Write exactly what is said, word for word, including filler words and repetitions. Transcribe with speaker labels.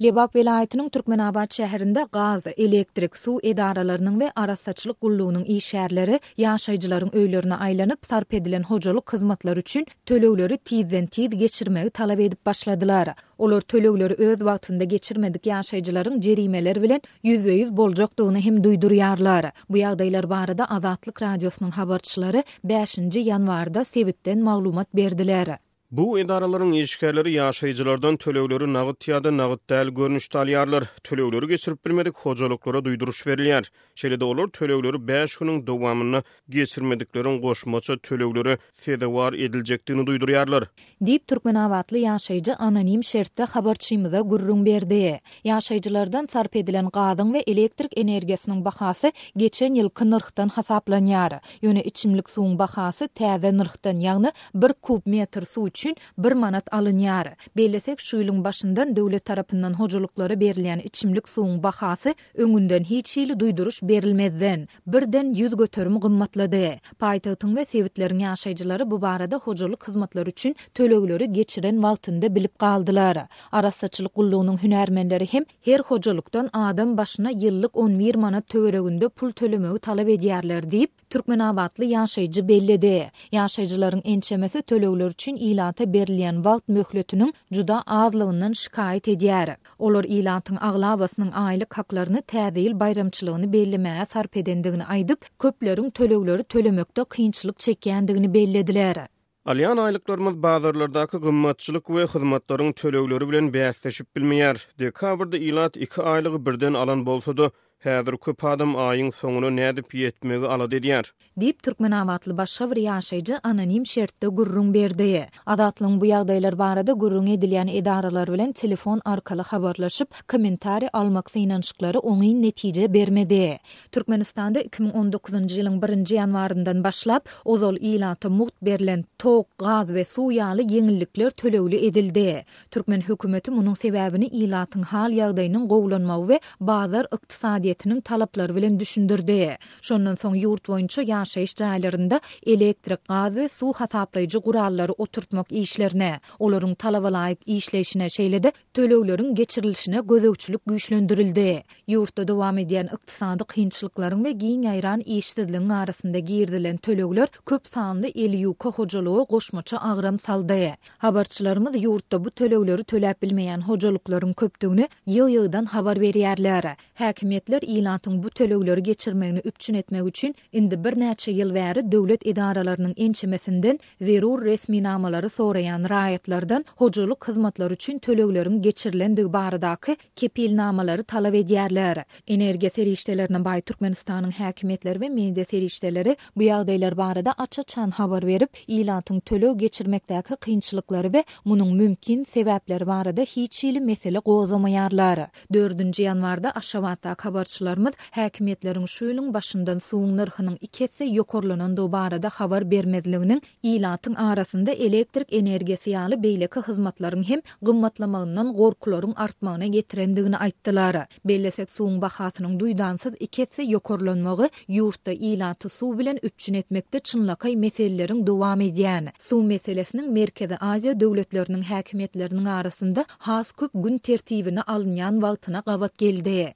Speaker 1: Lebap welaýatynyň Türkmenabat şäherinde gaz, elektrik, suw edaralarynyň we arassaçylyk gullugynyň işgärleri ýaşaýjylaryň öýlerine aýlanyp, sarp edilen hojalyk hyzmatlary üçin tölegleri tizden-tiz geçirmegi talap edip başladylar. Olar tölegleri öz wagtynda geçirmedik ýaşaýjylaryň jerimeler bilen ýüzbe-ýüz boljakdygyny hem duýdurýarlar. Bu ýagdaýlar barada Azatlyk Radiosynyň habarçylary bäşinji ýanwarda sebitden maglumat berdiler.
Speaker 2: Bu edaralaryň işgärleri ýaşaýjylardan tölegleri nagt ýa-da nagt däl görnüşde alýarlar. Tölegleri geçirip bilmedik hojalyklara duýduryş berilýär. Şeýle-de olar tölegleri bäş günüň dowamynda geçirmedikleriň goşmaça töleglere sezewar ediljekdigini duýdurýarlar.
Speaker 1: Diýip, türkmenabatly ýaşaýjy anonim şertde habarçymyza gürrüň berdi. Ýaşaýjylardan sarp edilen gazyň we elektrik energiýasynyň bahasy geçen ýylky nyrhdan hasaplanýar. Ýöne içimlik suwuň bahasy täze nyrhdan, ýagny bir kub metr suw üçin bir manat alynýar. Bellesek, şu ýylyň başyndan döwlet tarapyndan hojalyklara berilýän içimlik suwuň bahasy öňünden hiç hili duýduryş berilmezden, birden ýüz göterim gymmatlady. Paýtagtyň we sebitleriň ýaşaýjylary bu barada hojalyk hyzmatlary üçin tölegleri geçiren wagtynda bilip galdylar. Arassaçylyk gullugynyň hünärmenleri hem her hojalykdan adam başyna ýyllyk on bir manat töwereginde pul tölemegi talap edýärler diýip, türkmenabatly ýaşaýjy belledi. Ýaşaýjylaryň ençemesi tölegler üçin ilata berilýän wagt möhletiniň juda azlygyndan şikaýat edýär. Olar ilatyň aglabasynyň aýlyk haklaryny Täze ýyl baýramçylygyny bellemäge sarp edendigini aýdyp, köpleriň tölegleri tölemekde kynçylyk çekýändigini bellediler.
Speaker 2: Alýan aýlyklarymyz bazarlardaky gymmatçylyk we hyzmatlaryň tölegleri bilen bäsleşip bilmeýär. Dekabrda ilat iki aýlygy birden alan bolsa-da, häzir köp adam aýyň soňuna nädip ýetmegi alada edýär.
Speaker 1: Diýip, türkmenabatly başga bir ýaşaýjy anonim şertde gürrüň berdi. Azatlygyň bu ýagdaýlar barada gürrüň edilýän edaralar bilen telefon arkaly habarlaşyp, kommentariý almak synanyşyklary oňyn netije bermedi. Türkmenistanda iki müň on dokuzynjy ýylyň birinji ýanwaryndan başlap, ozal ilata mugt berlen tok, gaz we suw ýaly ýeňillikler tölegli edildi. Türkmen hökümeti munuň sebäbini ilatyň hal-ýagdaýynyň gowulanmagy we bazar ykdysadyýetiniň talaplary bilen düşündirdi. Şondan soň ýurt boýunça ýaşaýyş jaýlarynda elektrik, gaz we suw hasaplaýjy gurallary oturtmak işlerine, olaryň talabalaýyk işleýşine, şeýle-de tölegleriň geçirilişine gözegçilik güýçlendirildi. Ýurtda dowam edýän ykdysady kynçylyklaryň we giň ýaýran işsizligiň arasynda girizilen tölegler köp sanly eli ýuka hojalyga goşmaça agram saldy. Habarçylarymyz ýurtda bu tölegleri töläp bilmeýän hojalyklaryň köpdügini ýyl-ýyldan habar berýärler. Häkimiýetler ilatyň bu tölegleri geçirmegini üpjün etmek üçin indi birnäçe ýyl bäri döwlet edaralarynyň ençemesinden zerur resminamalary soraýan raýatlardan hojalyk hyzmatlary üçin tölegleriň geçirilendigi baradaky kepilnamalary talap edýärler. Energiýa serişdelerine baý Türkmenistanyň häkimiýetleri we media serişdeleri bu ýagdaýlar barada aç-açan habar berip, ilatyň töleg geçirmekdäki kynçylyklary we munuň mümkin sebäpleri barada hiç hili mesele gozgamaýarlar. Dördünji ýanwarda Aşgabatdaky habarçylarymyz häkimiýetleriň şu ýylyň başyndan suwuň nyrhynyň iki esse ýokarlanandygy barada habar bermezliginiň ilatyň arasynda elektrik energiýasy ýaly beýleki hyzmatlaryň hem gymmatlamagyndan gorkularyň artmagyna getirendigini aýtdylar. Bellesek, suwuň bahasynyň duýdansyz iki esse ýokarlanmagy ýurtda ilaty suw bilen üpjün etmekde çynlakaý meseleleriň dowam edýän, suw meselesiniň Merkezi Aziýa döwletleriniň häkimiýetleriniň arasynda has köp gün tertibine alynýan wagtyna gabat geldi.